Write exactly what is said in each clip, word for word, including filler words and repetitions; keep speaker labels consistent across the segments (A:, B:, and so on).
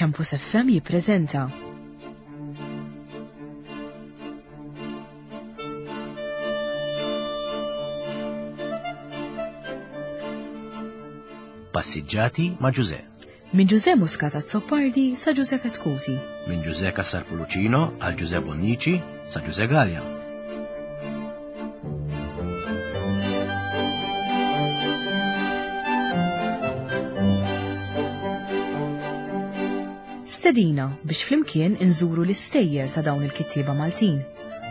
A: Campus F M jippreżenta
B: Passiġġati ma' Ġuże.
A: Minn Ġuże Muscat Azzopardi sa Ġuże Chetcuti.
B: Minn Ġuże Cassar Pullicino għal Ġuże Bonnici sa Ġuże Galea.
A: Stedina biex flimkien inżuru l-istejjer ta' dawn il-kittieba Maltin.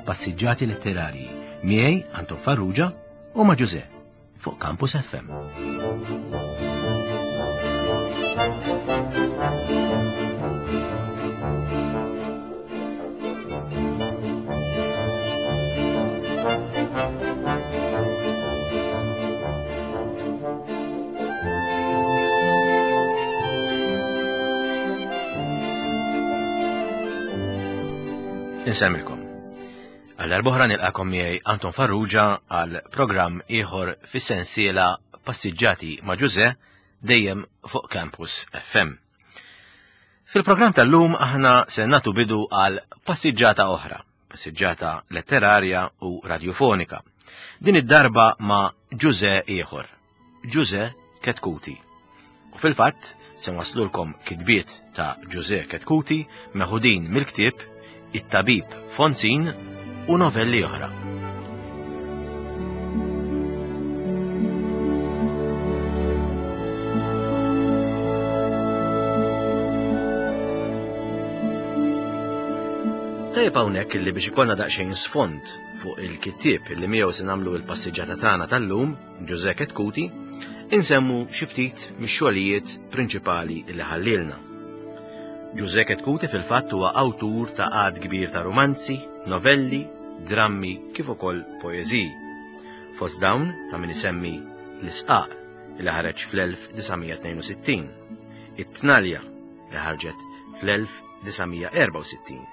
B: Passiġġati letterarji miegħi Anton Farrugia u ma' Ġuże fuq Campus F M. Insemmilkom. Għal darb'oħra nilqakom miegħi Anton Farrugia għal programm ieħor fis-sensiela Passiġġati ma' Ġuże dejjem fuq Campus F M. Fil-programm tal-lum aħna se nagħtu bidu għal passiġġata oħra, passiġġata letterarja u radiofonika. Din id-darba ma' Ġuże ieħor, Ġuże Chetcuti. U fil-fatt se waslulkom kitbiet ta' Ġuże Chetcuti meħudin mill-ktieb It-Tabib Fonzin u novelli oħra. Tajjeb hawnhekk illi biex ikollna daqsxejn sfond fuq il-kittieb illi miegħu se nagħmlu l-passiġġata tagħna tal-lum, Ġuże Chetcuti, insemmu xi ftit mix-xogħlijiet prinċipali li ħallilna. Ġuże Chetcuti fil-fatt huwa awtur ta' għadd kbir ta' romanzi, novelli, drammi kif ukoll poeżiji. Fost dawn ta' min isemmi L-Isqaq li ħareġ fl-elf disa' mija tnejn u sittin, It-Tnalja li ħarġet fl-elf disa' mija erba' u sittin,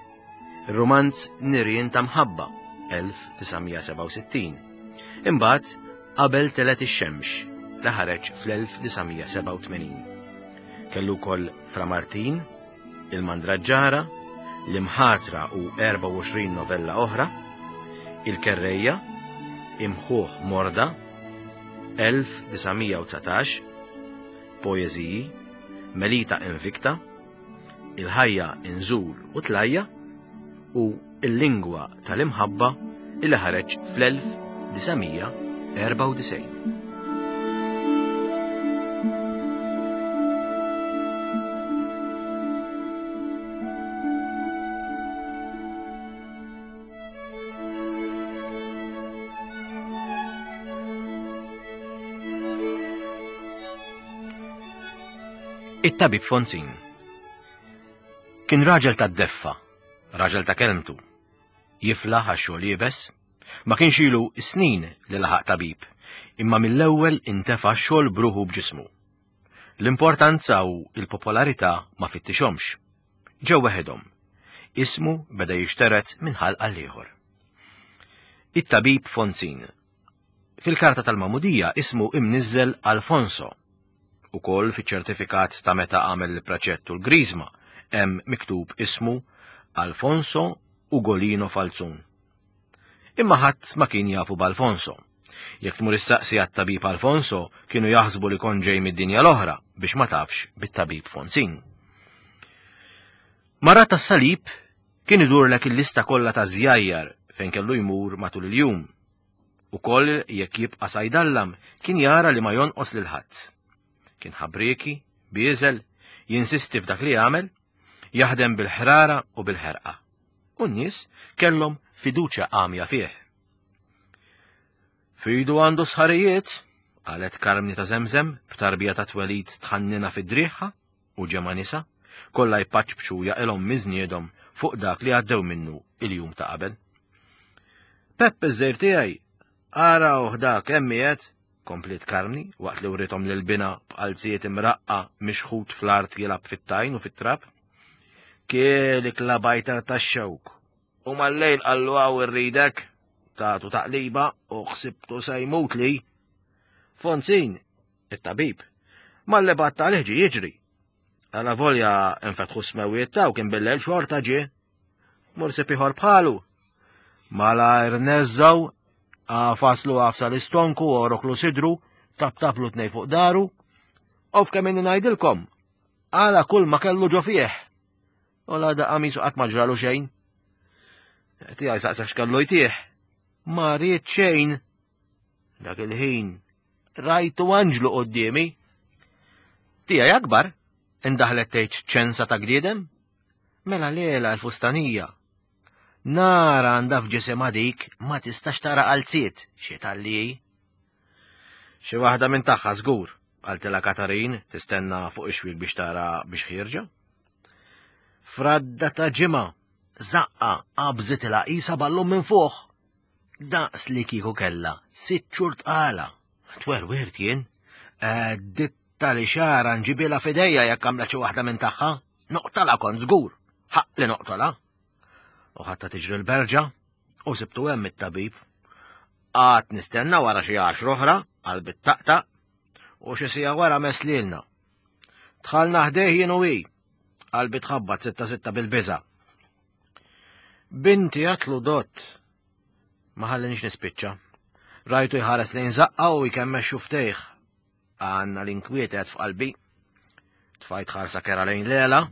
B: ir-romanz Nirien ta' Mħabba elf disa' mija seba' u sittin, imbagħad Qabel Telet ix-Xemx li ħareġ fl-elf disa' mija seba' u tmenin. Kellu wkoll Fra Martin, Il-Mandraġġara, L-Imħatra u erba' u għoxrin novella oħra, Il-Kerrejja, Imħuħ Morda, elf disa' mija u dsatax, Poeżiji, Melita Invicta, Il-Ħajja Inżul u Tlajja u Il-Lingwa tal-Imħabba illi ħareġ fl-elf disa' mija erba' u disgħin. It-Tabib Fonzin kien raġel ta' deffa, raġel ta' kelmtu, jiflaħ għax xogħol iebes, ma kienx ilu snin li laħaq tabib, imma mill-ewwel intefa' xogħol bruħu b'ġismu. L-importanza u l-popolarità ma fittixhomx. Ġew weħedhom. Ismu beda jixteret minn ħalq għal ieħor. It-Tabib Fonzin. Fil-karta tal-Magħmudija ismu imniżżel Alfonso. Ukoll fiċ-ċertifikat ta' meta għamel il-preċett u l-griżma hemm miktub ismu Alfonso Ugolino Falzun. Imma ħadd ma kien jafu b'Alfonso. Jekk tmur issaqsi għat-tabib Alfonso, kienu jaħsbu li kon ġej mid-dinja l-oħra biex ma tafx bit-tabib Fonzin. Mara tas-salib kien idurlek il-lista kollha ta' żjajjar fejn kellu jmur matul il-jum. Ukoll jekk jibqa' sajdallam kien jara li ma jonqos lil ħadd. Kien ħabrieki, bieżel, jinsisti f'dak li jagħmel, jaħdem bil-ħrara u bil-ħerqa. U n-nies kellhom fiduċja għamja fih. Fidu għandu sħarijiet, qalet Karmni ta' Zemzem b'tarbija ta' twelid tħannina fid-driħħa u ġemma nisa, kollha jpaċċbċu jaqilhom miżniedhom fuq dak li għaddew minnu il-jum ta' qabel. Peppe ż-żejr tiegħi, ara uħdak hemm qiegħed, kompliet Karmni waqt li writhom lil bina b'qalzijiet imraqqa mixħut fl-art jilgħab fit-tajn u fit-trab. Kielik la bajtar tax-xewk. U mal-lejl qallu hawn irridek, tagħtu taqliba u ħsibtu se jmut li. Fonzin, it-tabib, mal-li batta għalih ġie jiġri. Għala volja infetħu smewiet taw kien billejl xorta ġie. Mur sib ieħor bħalu. Malajr neżżaw, għafaslu għafsa l-istonku, oroklu sidru, taptaplu tnej fuq daru. Of kemm inni ngħidilkom, għala kull ma kellu ġo fih. U la da qamisu qatt ma ġralu xejn. Tiegħi saqsek x'kellu jtih. Ma ried xejn. Dak il-ħin rajtu anġlu quddiemi. Tiegħi akbar, indaħlet tgħid ċensa ta' gdiedem. Mela lela l-fustanija. Nara għandha f'ġisimha dik ma tistax tara qalziet xi talli. Xi waħda minn tagħha żgur, qaltilha Katarin tistenna fuq ix-xwiek biex tara biex ħierġa. Fradda ta' ġimgħa, żaqqa qabżitilha qisha ballun minn fuq. Daqs li kieku kellha sitt xhur tqala. Twerwirt jien, ditta li xara nġibilha f'idejja jekk għamlet xi waħda minn tagħha. Noqtala kont żgur, ħaq li noqtola. U ħatta tiġri l-berġa u sibtu hemm it-tabib. Għad nistenna wara xi għaxra oħra qalbi taqtaq u xi siegħa wara meslilna. Dħalna ħdejh jien u hi, qalbi tħabbat sitta sitta bil-biża'. Binti għatlu dott. Ma ħallinix nispiċċa. Rajtu jħares lejn żaqqa u jkemmex xuftejh. Għanna l-inkwiet f'qalbi. Tfajt ħarsa kera lejn Lela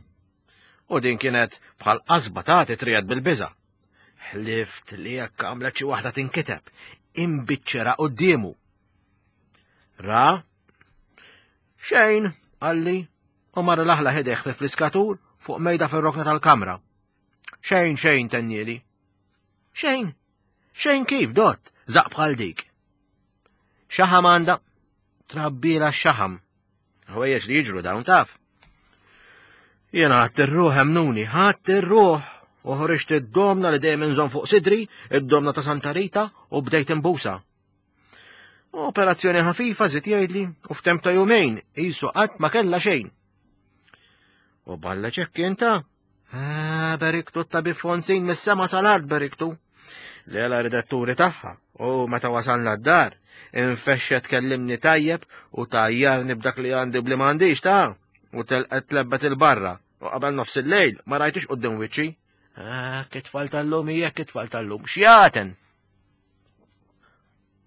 B: u din kienet bħal qasba tagħti triegħed bil-biża'. Ħlift li jekk għamlet xi waħda tinkiteb, imbiċċera quddiemu. Ra? Xejn, qalli, u mar laħla ħedeh fi fliskatur fuq mejda fir-rokna tal-kamra. Xejn, xejn, tennieli. Xejn, xejn kif, dott, zaq bħal dik. Xaħam għandha, trabbila x-xaħam. Ħwejjeġ li jiġru dawn taf. Jena ħadt ir-ruħ emnuni, ħadt ir-ruħ, u ħriġt id-domna li dejjem inżomm fuq sidri, id-domna ta' Santa Rita, u bdejt imbusa. Operazzjoni ħafifa żied jgħidli, u f'temp ta' jumejn qisu qatt ma kellha xejn. U balla ċekk inta? Ah, beriktu t-tabib Fonzin mis-sema sal-art beriktu. Lela ridetturi tagħha, u meta wasalna d-dar, infexxet kellimni tajjeb u tajjarni b'dak li għandi bli m'għandix ta' u telqet tlebbet il-barra, u qabel nofs il-lejl ma rajtix quddiem wiċċi. Ah, kitfal tal-lum hija kitfal tal-lum, x'jaten?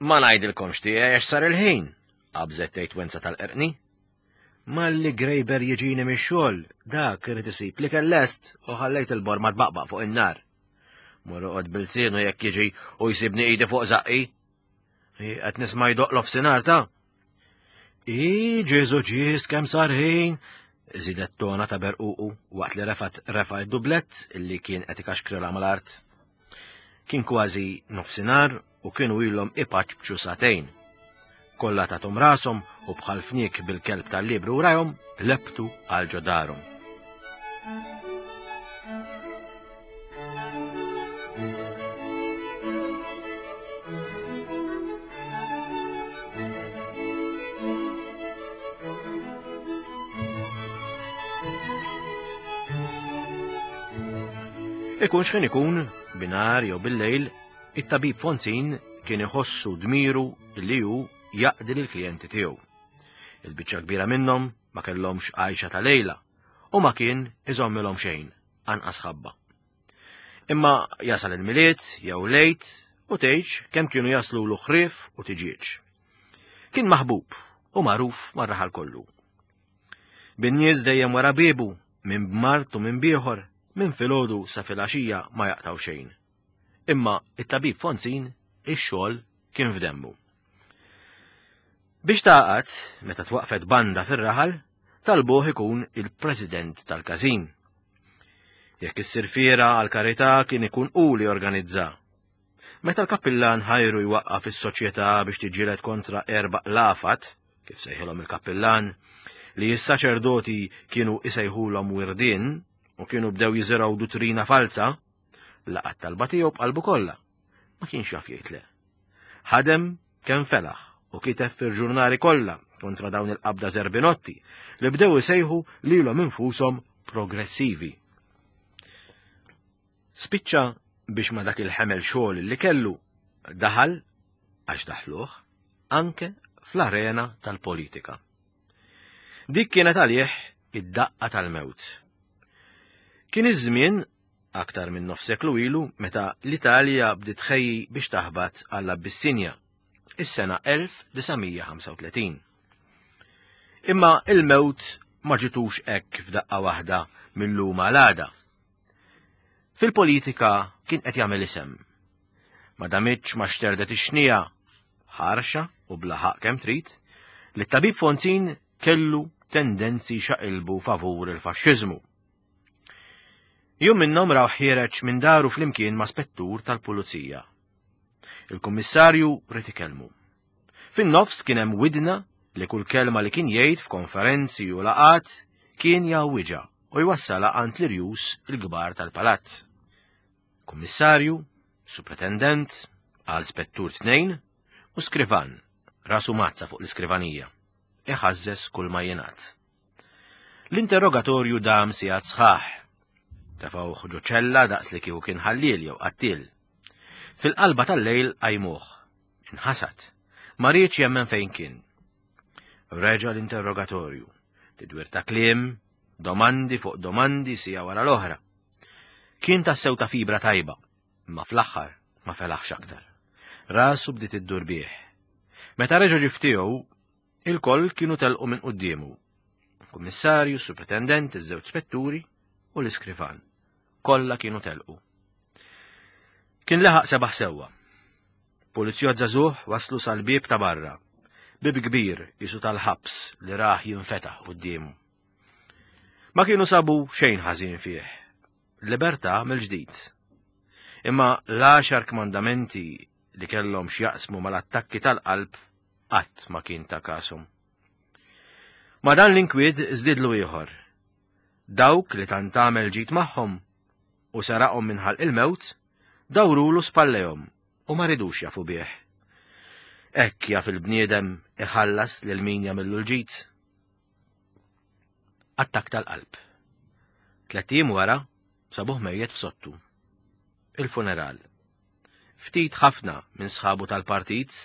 B: Ma ngħidilkomx tiegħi għax sar il-ħin, qabżet tgħid wenza tal-qerqni. Malli Grejber jiġini mix-xogħol, dak irid isib li kellest u ħallejt il-borma tbaqbaq fuq in-nar. Mur oqgħod bil-sienu jekk jiġi u jsibni idi fuq żaqqi. Qed nisma' jdoq l-ofsinhar ta'. I Ġesu ġis kemm sar ħin, żidet tona ta' berququ waqt li refat refa d-dublett illi kien qed ikaxkrilha mal-art. Kien kważi nofsinhar u kienu ilhom ipaċċu sagħtejn. Kollha tagħthom rashom u bħal fniek bil-kelb tal-libru warahom lebtu għal ġo darhom. Ikun x'ħin ikun, binhar jew bil-lejl, it-tabib Fonzin kien iħossu dmiru li hu jaqdi lill-klijenti tiegħu. Il-biċċa kbira minnhom ma kellhomx għajxa ta' lejla u ma kien iżommilhom xejn, anqas ħabba. Imma jasal il-Milied jew lejt u tgħidx kemm kienu jaslu l ħrief u tiġieġ. Kien maħbub u magħruf mar-raħal kollu. Bin-nies dejjem wara biebu, minn b'mart u minn bieħor, minn filgħodu sa filgħaxija ma jaqtaw xejn. Imma it-tabib Fonzin ix-xogħol kien f'demmu. Biex taqgħad, meta twaqfet banda fir-raħal, talbuh ikun il-president tal-każin. Jekk issir fiera għall-karità kien ikun hu li organizza. Meta l-kappillan ħajru jwaqqaf is-soċjetà biex tiġġieled kontra erba' lafat, kif sejħilhom il-kappillan, li s-saċerdoti kienu isejħulhom wirdien u kienu bdew jiżirgħu duttrina falza, laqat talba tiegħu b'qalbu kollha. Ma kienx jaf jgħid le. Ħadem kemm felaħ u kiteb fil-ġurnali kollha kontra dawn il-qabda Zerbinotti li bdew isejħu lilhom infushom progressivi. Spiċċa biex ma dak il-ħemel xogħol li kellu daħal, għax daħluh, anke fl-arena tal-politika. Dik kienet għalih id-daqqa tal-mewt. Kien iż-żmien aktar minn nofs seklu ilu meta l-Italja bdiet tħejji biex taħbat għall-Abissinja, is-sena elf disa' mija ħamsa u tletin. Imma il-mewt ma ġitux hekk f'daqqa waħda mill-lum għal għada. Fil-politika kien qed jagħmel isem. Ma damitx ma xterdet ix-xnija, ħarxa u bla ħaqq kemm trid, li t-tabib Fonzin kellu tendenzi xaqilbu favur il-faxxiżmu. Jum minnhom raw ħiereġ minn daru flimkien ma' spettur tal-pulizija. Il-kummissarju ried ikellmu. Fin-nofs kien hemm widna li kull kelma li kien jgħid f'konferenzi u laqat kien jgħawwiġha u jwassalha għand l-irjus il-kbar tal-palazz. Kummissarju, supretendent, għal spettur tnejn u skrivan, rasu mazza fuq l-iskrivanija, iħażżes kull ma jingħad. L-interrogatorju dam sigħat sħaħ. Tefgħuh ġo ċella daqs li kieku kien ħalliel jew qattiel. Fil-qalba tal-lejl qajmuh. Inħasad. Ma riedx jemmen fejn kien. Reġa' l-interrogatorju. Tidwir ta' kliem, domandi fuq domandi sija wara l-oħra. Kien tassew ta' fibra tajba, imma fl-aħħar ma felaħx aktar. Rasu bdiet iddur bih. Meta reġa' ġie ftiegħu, il-koll kienu telqu minn quddiemu. Kummissarju, supretendent, iż-żewġ spetturi u l-iskrivan. Kollha kienu telqu. Kien laħaq sebaħ sewwa. Pulizjot żagħżugħ waslu sal-bieb ta' barra. Bieb kbir isu tal-ħabs li raħ jinfetaħ quddiemu. Ma kienu sabu xejn ħażin fih. Libertà mill-ġdid. Imma l-għaxar kmandamenti li kellhom x'jaqsmu mal-attakki tal-qalb qatt ma kien ta' kashom. Ma dan l-inkwiet żdiedlu ieħor. Dawk li tant għamel ġid magħhom u saraqhom minn ħalq il-mewt, dawrulu spallejhom u ma ridux jafu bih. Hekk jaf il-bniedem iħallas lil min jagħmillu l-ġid. Attakk tal-qalb. Tlett ijiem wara sabuh mejjet f'sottu. Il-funeral. Ftit ħafna minn sħabu tal-partit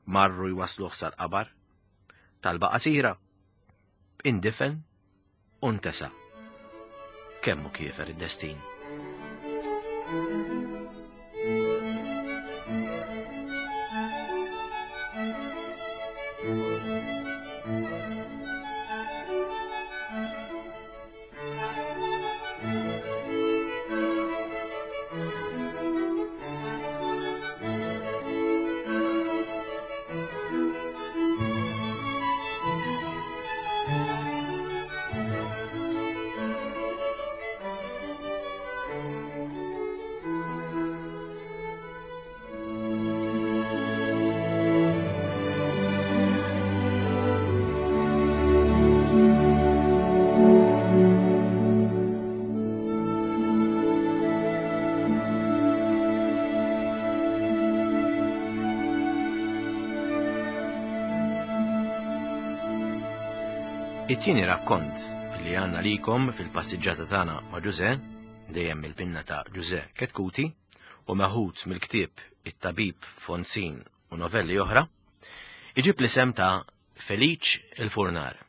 B: marru jwasluh sal-qabar. Talba qasira. Indifen u ntesa. Kemm hu kiefer id-destin. It-tieni rakkont li għandna likom fil-passiġġata tagħna ma' Ġużè, dejjem mill-pinna ta' Ġużè Chetcuti, u meħud mill-ktieb It-Tabib Fonzin u novelli oħra, iġib l-isem ta' Feliċ il-Furnar.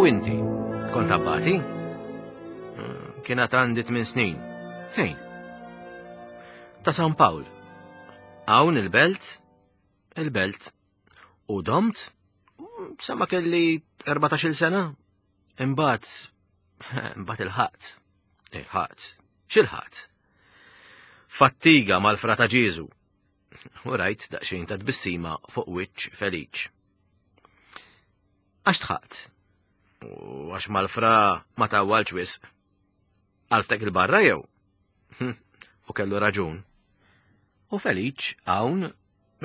B: U inti, kont abbati? Kienet għandi tmien snin. Fejn? Ta' San Pawl. Hawn il-belt? Il-belt. U domt? Sa ma kelli erbatax-il sena. Imbagħad, imbagħad il-ħadd. Il-ħadd. X'il-ħadd? Fattiga mal-frata Ġieżu. U rajt daqsxejn ta' tbissima fuq wiċċ Feliċ. Għax tħaqt? U għax mal-fra ma tawwalx wisq. Għalftek il-barra jew? Hm, u kellu raġun. U Feliċ hawn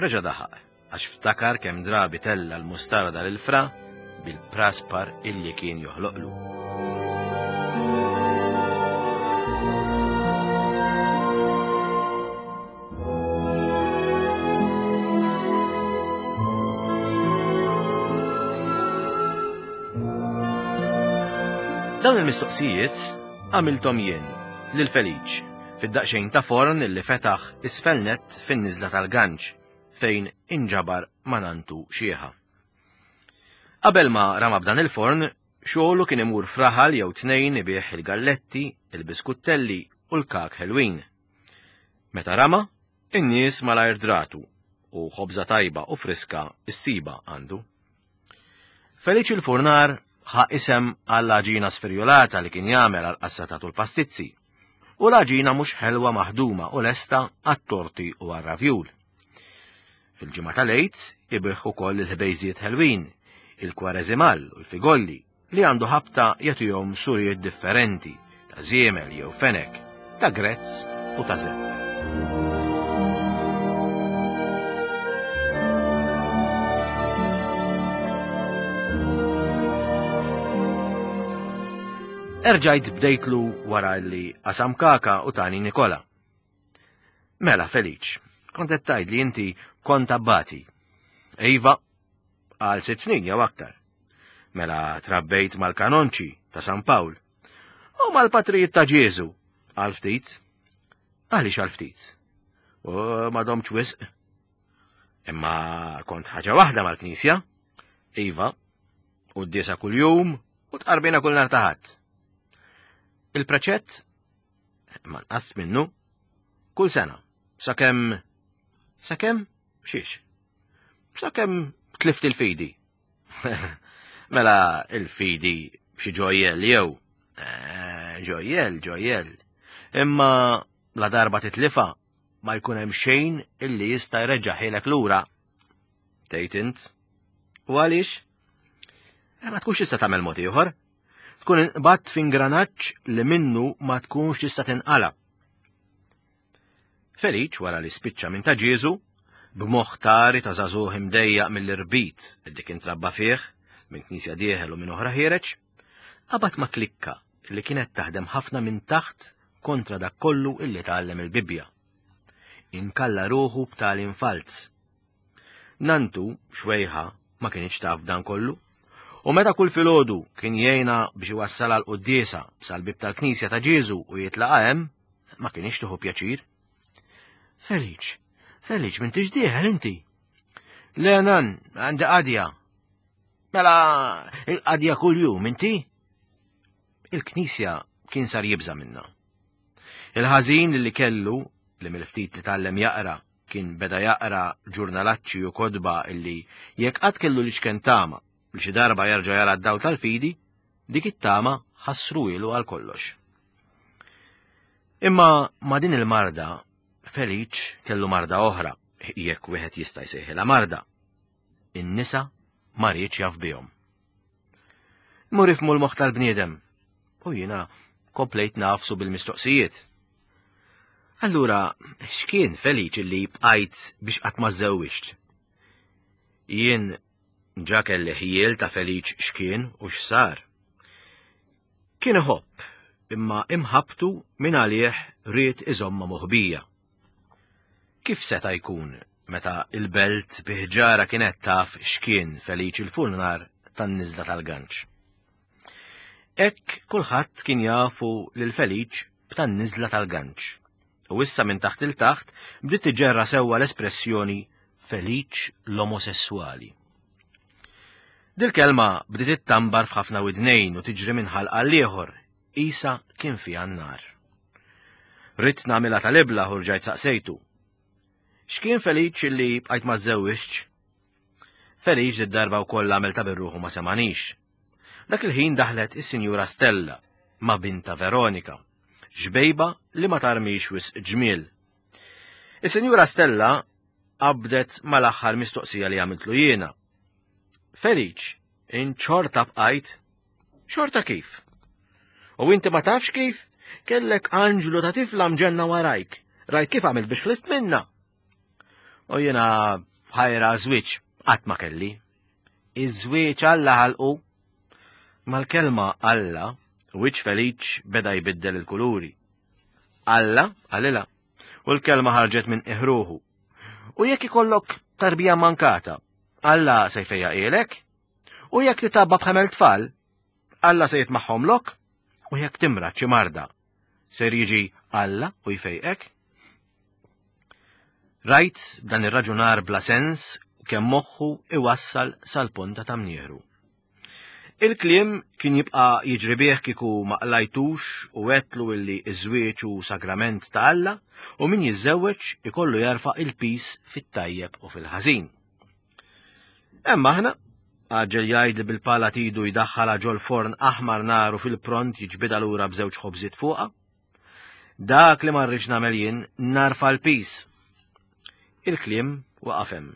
B: reġa' daħaq għax ftakar kemm drabi tella l-mustarda lil fra bil-praspar illi kien joħloqlu. Dawn il-mistoqsijiet għamilthom jien lil Feliċ fid-daqsxejn ta' forn li fetaħ isfel nett fin-niżla tal-Ganċ fejn inġabar ma' nantu xieħa. Qabel ma rama b'dan il-forn, xogħlu kien imur fraħal jew tnejn ibih il-galletti, il-biskuttelli u l-kak ħelwin. Meta rama, in-nies malajr dratu u ħobża tajba u friska issiba għandu. Feliċ il-Furnar ħa isem għall-għaġina sferjolata li kien jagħmel għal qassatatu l-pastizzi u l-għaġina mhux ħelwa maħduma u lesta għat-torti u għar-ravjul. Fil-ġimgħa tal-Għid ibih ukoll il-ħbejżiet ħelwin, il-kwareżimal u l-figolli li għandu ħabta jagħtihom suriet differenti ta' żiemel jew fenek, ta' grezz u ta' zepp. Erġajt bdejtlu wara li qasam kaka u tani Nikola. Mela, Feliċ, kont qed tgħid li inti kont abbati. Iva, għal sitt snin jew aktar. Mela trabbejt mal-kanonċi ta' San Pawl u mal-patrijiet ta' Ġieżu għal ftit. Għaliex għal ftit? U ma domtx wisq. Imma kont ħaġa waħda mal-knisja. Iva, u d-diesa kuljum u tqarbina kull nhar ta' Ħadd. Il-preċett ma nqas minnu kull sena, sakemm sakemm xiex, sakemm tlift il-fidi. Mela il-fidi b'xi ġojjel jew eh, ġojjel, ġojjel. Imma la darba titlifa ma jkun hemm xejn illi jista' jreġġa' ħilek lura. Tgħid int. U għaliex? Eh, ma tkunx tista' tagħmel mod ieħor. Tkun inqbadt f'ingranaġġ li minnu ma tkunx tista' tinqala. Feliċ wara li spiċċa minn ta' Ġieżu, b'moħħ tari ta' żagħżugħ imdejjaq mill-irbit li kien trabba fih, minn knisja dieħel u minn oħra ħiereġ, qabad ma' klikka li kienet taħdem ħafna minn taħt kontra dak kollu illi tgħallem il-Bibbja. Inkalla ruħu b'tagħlim falz. Nantu, xwejħa, ma kienx taf dan kollu. U meta kull filgħodu kien jgħinha biex iwassalha l-quddiesa sal-bib tal-Knisja ta' Ġieżu u jitlaqa' hemm, ma kienx tieħu pjaċir. Feliċ, Feliċ, m'intix dieħel inti. Le nan, għandi qadja. Mela il-qadja kuljum inti? Il-Knisja kien sar jibża' minnha. Il-ħażin li kellu, li mill-ftit li tgħallem jaqra, kien beda jaqra ġurnalaċċi u kodba illi jekk qatt kellu li xken tama li xi darba jerġa' jara d-dawl tal-fidi, dik it-tama ħassruhielu għal kollox. Imma ma' din il-marda, Feliċ kellu marda oħra, jekk wieħed jista' jsejħilha marda. In-nisa ma riedx jaf bihom. Mur ifmu l-moħħ tal-bniedem, u jiena komplejt nafsu bil-mistoqsijiet. Allura, x'kien Feliċ li bqajt biex qatt ma żewwiġt? Jien ġa kelli ħjiel ta' Feliċ x'kien u x'sar. Kien iħobb, imma imħabtu minn għalih ried iżomma moħbija. Kif seta' jkun meta il-belt biħġara kienet taf x'kien Feliċ il-Furnar tan-niżla tal-Ganċ? Hekk kulħadd kien jafu lil Feliċ b'tan-niżla tal-Ganċ. U issa minn taħt il-taħt bdiet tiġġerra sewwa l-espressjoni Feliċ l-omosessuali. Dil-kelma bdiet ittambar f'ħafna widnejn u tiġri minn ħalq għal ieħor, isa kien fiha n-nar. Ridt nagħmilha tal-ibla u rġajt saqsejtu. X'kien Feliċ li bqajt ma żewwiġtx? Feliċ id-darba wkoll għamel ta' birruħu ma semanix. Dak il-ħin daħlet is-Sinjura Stella ma' binta Veronika, ġbejba li ma tarmix wisq ġmiel. Is-Sinjura Stella qabdet mal-aħħar mistoqsija li għamiltlu jiena. Feliċ, in xorta bqajt? Xorta kif? U inti ma tafx kif? Kellek anġlu ta' tifla mġenna warajk. Rajt kif għamilt biex ħlist minna. U jiena ħajra żwieġ qatt ma kelli. Iż-żwieġ Alla ħalqu. Mal-kelma Alla, wiċċ Feliċ beda jbiddel il-kuluri. Alla qalilha, u l-kelma ħarġet minn iħruħu. U jekk ikollok tarbija mankata, Alla se jfejjaqhielek? U jekk titabba b'ħemel tfal, Alla se jitmaħħomlok? U jekk timrad xi marda, ser jiġi Alla u jfejqek? Rajt dan ir-raġunar bla sens kemm moħħu iwassal sal-ponta ta' mnieħru. Il-kliem kien jibqa' jiġri bih kieku ma qlajtux u għedtlu illi ż-żwieġ hu sagrament ta' Alla u min jiżżewweġ ikollu jarfa' il-pis fit-tajjeb u fil-ħażin. Emma aħna, għaġġel jgħid li bil-pala tidu jdaħħalha ġol-forn aħmar naru fil-pront jiġbidha lura b'żewġ ħobżiet fuqha. Dak li ma rridx nagħmel jien narfa' l-pis. Il-kliem waqaf hemm.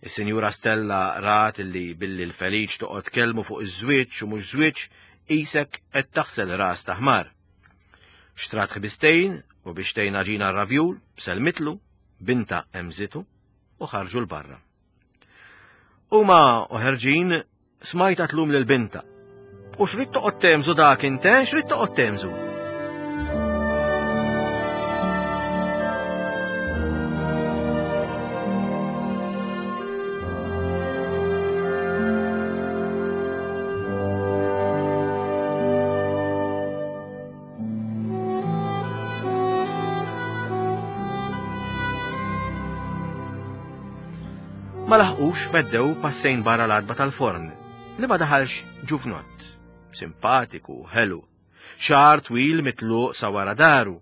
B: Is-Sinjura Stella rat illi billi l-Feliċ toqgħod kellmu fuq iż-żwieġ u mhux żwieġ qisek qed taħsel ras ta' ħmar. Xtrat ħbistejn u biex tgħin għaġina r-ravjul, selmitlu, binta emżitu u ħarġu l-barra. Huma u ħerġin smajta tlum lil binta. U xrid toqgħod temżu dak inte, xrid toqgħod temżu? Ma laħqux meddew passejn barra l-għatba tal-forn, li ma daħalx ġuvnott, simpatiku, ħelu, xagħar twil mitluq sa wara daru,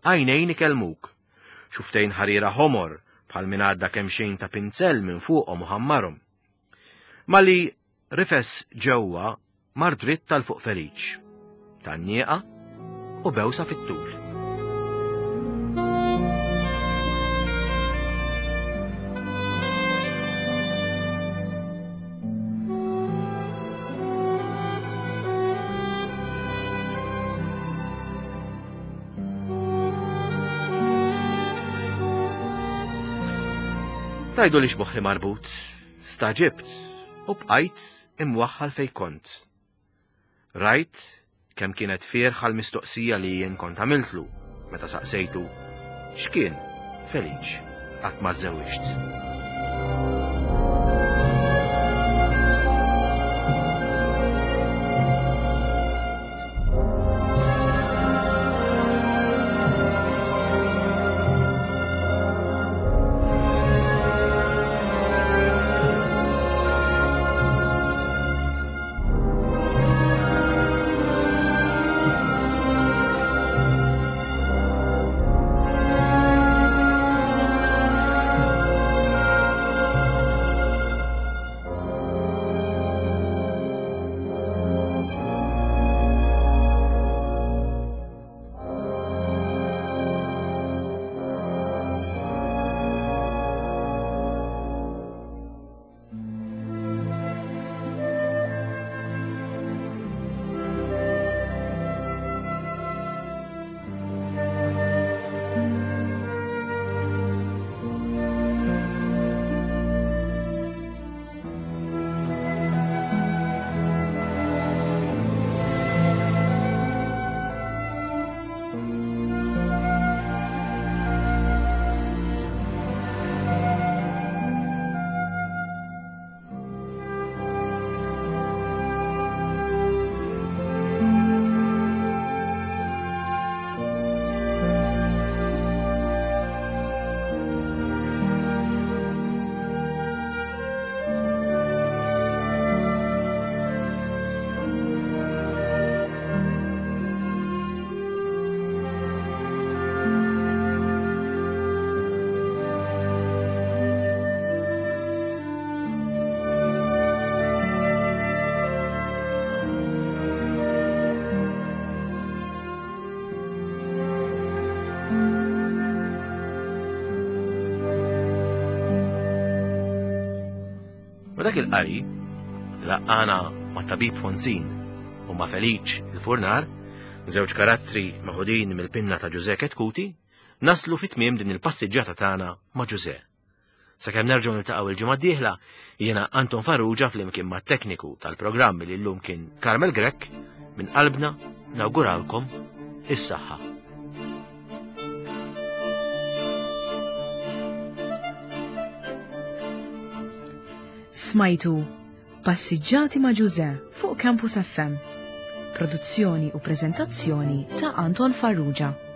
B: għajnejn ikellmuk, xuftejn ħarira ħomor bħal min għadda kemm xejn ta' pinzell minn fuqhom u ħammarhom. Mali rifes ġewwa mar dritt tal-fuq Feliċ, tan-nieqa u bewsa fit-tul. Tajdu li xmoħħi marbut, staġibt u bqajt imwaħħal fej kont. Rajt kemm kienet fierħa l-mistoqsija li jien kont għamiltlu meta saqsejtu x'kien Feliċ qatt ma żewwiġt. U dak il-qari laqqana ma' tabib Fonzin u ma' Feliċ il-Furnar, żewġ karattri meħudin mill-pinna ta' Ġużè Chetcuti, naslu fit-tmiem din il-passiġġata tagħna ma' Ġużè. Sakemm nerġgħu niltaqgħu il-ġimgħa d-dieħla, jiena Anton Farrugia flimkien mat-tekniku tal-programm li llum kien Carmel Grech, minn qalbna nawguralkom is-saħħa.
A: Smajtu Passiġġati ma' Ġużè fuq Campus F M. Produzzjoni u preżentazzjoni ta' Anton Farrugia.